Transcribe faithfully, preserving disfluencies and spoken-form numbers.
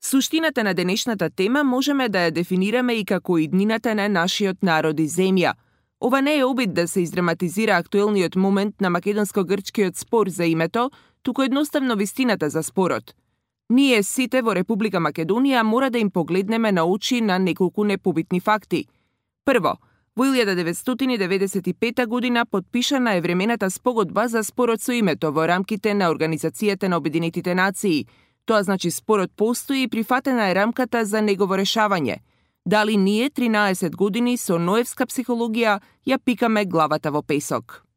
Суштината на денешната тема можеме да ја дефинираме и како иднината на нашиот народ и земја. Ова не е обид да се издраматизира актуелниот момент на македонско-грчкиот спор за името, туку едноставно вистината за спорот. Ние сите во Република Македонија мора да им погледнеме на очи на неколку непобитни факти. Прво, во илјада деветстотини деветдесет и пета година потпишана е времената спогодба за спорот со името во рамките на Организацијата на Обединетите нации. Тоа значи спорот постои и прифатена е рамката за негово решавање. Дали ние тринаесет години со ноевска психологија ја пикаме главата во песок?